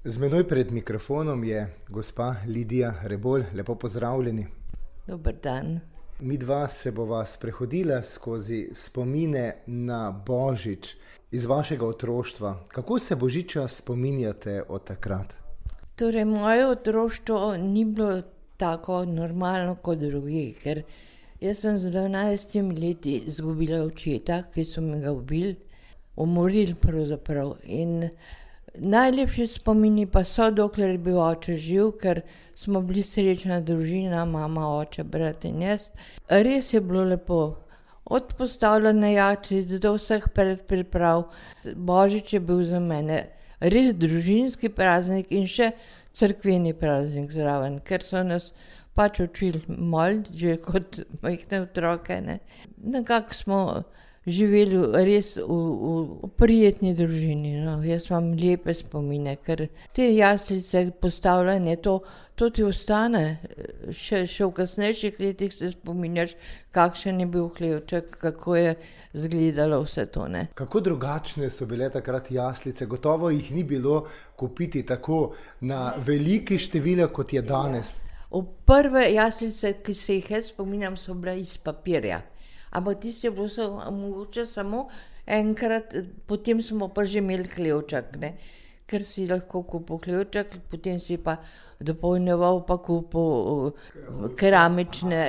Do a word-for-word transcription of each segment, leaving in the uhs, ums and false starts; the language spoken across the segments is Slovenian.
Z menoj pred mikrofonom je gospa Lidija Rebolj. Lepo pozdravljeni. Dober dan. Midva se bova sprehodila skozi spomine na Božič iz vašega otroštva. Kako se Božiča spominjate od takrat? Torej, moje otroštvo ni bilo tako normalno kot drugi, ker jaz sem z dvanajstimi leti izgubila očeta, ki so me ga ubili, umorili pravzaprav. In najlepši spomini pa so, dokler je bil oče živ, ker smo bili srečna družina, mama, oče, brat in jaz. Res je bilo lepo. Od postavljanja jačic do vseh predpriprav. Božič je bil za mene res družinski praznik in še cerkveni praznik zraven, ker so nas pač učili moliti, že kot majhne otroke, ne. Nekako smo živeli res v, v, v prijetni družini, no. Jaz imam lepe spomine, ker te jaslice, postavljanje, to, to ti ostane. Še, še v kasnejših letih se spominjaš, kakšen je bil hlevček, kako je izgledalo vse to, ne. Kako drugačne so bile takrat jaslice? Gotovo jih ni bilo kupiti tako na veliki število, kot je danes. V prve jaslice, ki se jih jaz spominjam, so bile iz papirja. Ampak tisti je bilo so, mogoče samo enkrat, potem smo pa že imeli hlevček, ne. Ker si lahko kupil hlevček, potem si pa dopolnjeval, pa kupil keramične,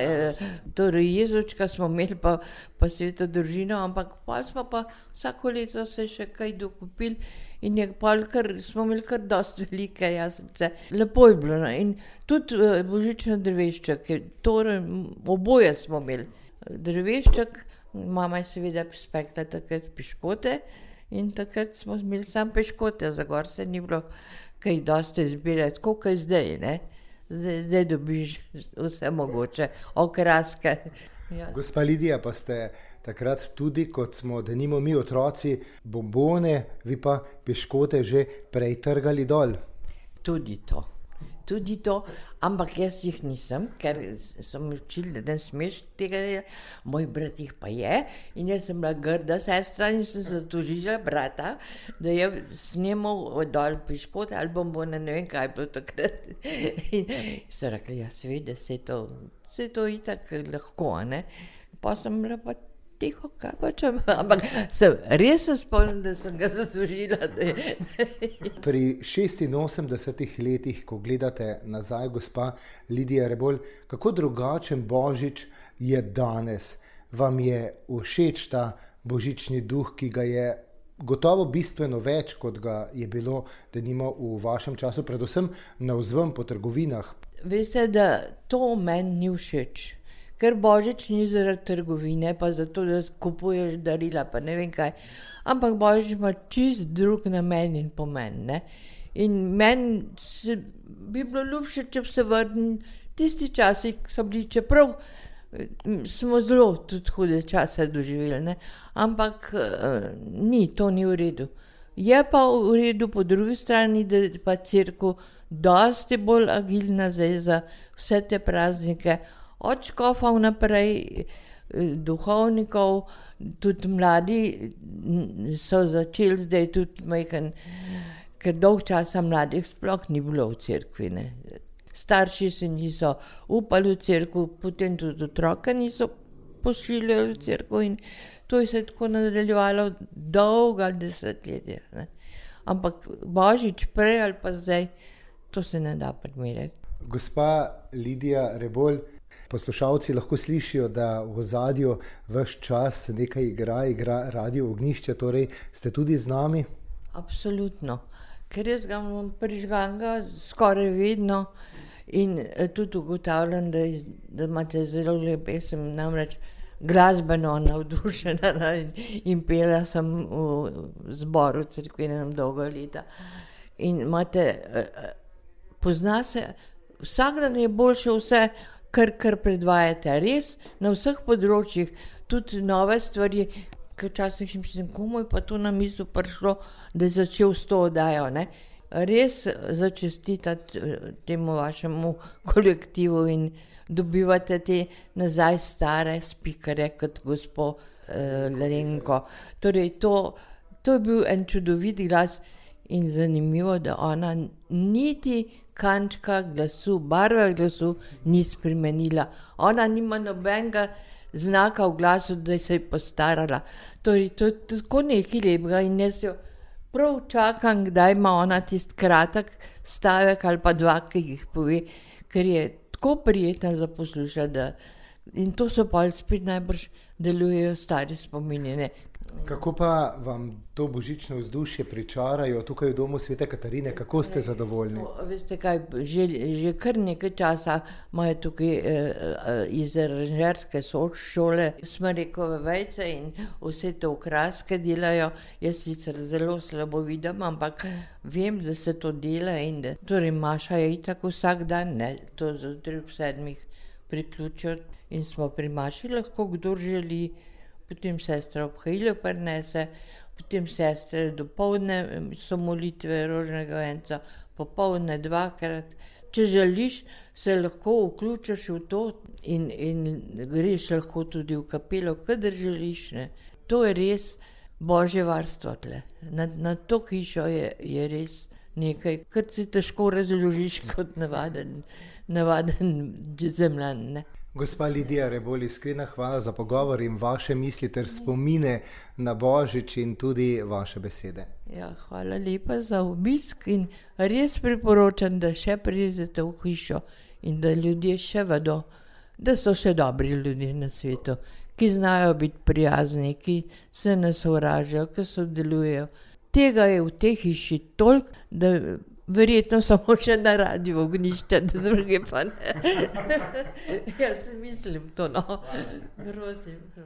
torej jezučka smo imeli, pa, pa sveto družino, ampak pa smo pa vsako leto se še kaj dokupili in je pol kar, smo imeli kar dosti velike jaslice. Lepo je bilo, no. In tudi božični drevešček, torej oboje smo imeli. Drevešček, mama je seveda spekla takrat piškote in takrat smo imeli samo piškote, za gor se ni bilo kaj dosti zbirati, tako kot zdaj, ne. Zdaj, zdaj dobiš vse mogoče, okraske. Ja. Gospa Lidija, pa ste takrat tudi, kot smo denimo mi otroci, bombone, vi pa piškote že prej trgali dol. Tudi to. Tudi to, ampak jaz jih nisem, ker so mi učili, da ne smeš tega, moj brat jih pa je in jaz sem bila grda sestra in sem se tožila brata, da je snemal dol piškote ali bombone, ne vem, kaj je bilo takrat. In so rekli, ja, seveda, se je to, se je to itak lahko, ne. Pa sem bila pa tiho, kaj pa če, ampak sem, res se spomnim, da sem ga zatožila. Pri šestinosemdesetih letih, ko gledate nazaj, gospa Lidija Rebolj, kako drugačen Božič je danes? Vam je všeč ta božični duh, ki ga je gotovo bistveno več, kot ga je bilo denimo v vašem času, predvsem navzven po trgovinah? Veste, da to meni ni všeč. Ker Božič ni zaradi trgovine, pa zato, da kupuješ darila, pa ne vem kaj. Ampak Božič ima čist drug namen in pomen, ne. In meni se, bi bilo ljubše, če bi se vrnil tisti časi, ki so bili, čeprav smo zelo tudi hude čase doživeli, ne. Ampak uh, ni, to ni v redu. Je pa v redu po drugi strani, da je pa cerkev dosti bolj agilna zdaj za vse te praznike, od škofov naprej, duhovnikov, tudi mladi so začeli zdaj tudi majhen, ker dolg časa mladih sploh ni bilo v cerkvi, ne. Starši se niso upali v cerkev, potem tudi otroke niso pošiljali v cerkev in to je se tako nadaljevalo dolga desetletja, ne. Ampak Božič prej ali pa zdaj, to se ne da primerjati. Gospa Lidija Rebolj, poslušalci lahko slišijo, da v ozadju ves čas nekaj igra, igra Radio Ognjišče, torej ste tudi z nami? Absolutno, ker jaz ga imam prižganega skoraj vedno in tudi ugotavljam, da, da imate zelo lep pesem, namreč glasbeno navdušena in, in pela sem v zboru cerkvenem dolga leta. In imate, pozna se, vsak dan je boljše vse, kar, kar predvajate, res na vseh področjih, tudi nove stvari, ker včasih mislim, komu je pa to na misel prišlo, da je začel s to oddajo, ne. Res začestitati temu vašemu kolektivu in dobivate te nazaj stare spikerje kot gospo eh, Lenko. Torej to, to je bil en čudovit glas In zanimivo, da ona niti kančka glasu, barve glasu ni spremenila. Ona nima nobenega znaka v glasu, da se je postarala. Torej, to je tako nekaj lepega in jaz jo prav čakam, kdaj ima ona tisti kratek stavek ali pa dva, ki jih pove, ker je tako prijetna za poslušati, da in to so pa spet najbrž delujejo stari spomini, ne. Kako pa vam to božično vzdušje pričarajo tukaj v domu Svete Katarine? Kako ste zadovoljni? To, veste kaj, že, že kar nekaj časa imajo tukaj eh, iz aranžerske šole smrekove vejce in vse te okraske delajo. Jaz sicer zelo slabo vidim, ampak vem, da se to dela in da, torej Maša je itak vsak dan, ne, to zjutraj ob sedmih priključijo in smo pri Maši lahko, kdor želi. Potem sestra obhajilo prinese, potem sestre dopoldne so molitve rožnega venca, popoldne dvakrat. Če želiš, se lahko vključiš v to in, in greš lahko tudi v kapelo, kadar želiš, ne. To je res božje varstvo tle. Na, na to hišo je, je res nekaj, kar si težko razložiš kot navaden, navaden zemljan, ne. Gospa Lidija Rebolj, iskrena hvala za pogovor in vaše misli ter spomine na Božič in tudi vaše besede. Ja, hvala lepa za obisk in res priporočam, da še pridete v hišo in da ljudje še vedo, da so še dobri ljudje na svetu, ki znajo biti prijazni, ki se ne sovražijo, ki sodelujejo. Tega je v tej hiši toliko, da verjetno samo še na radiu Ognjišče, da druge pa ne. Jaz mislim to, no. Prosim.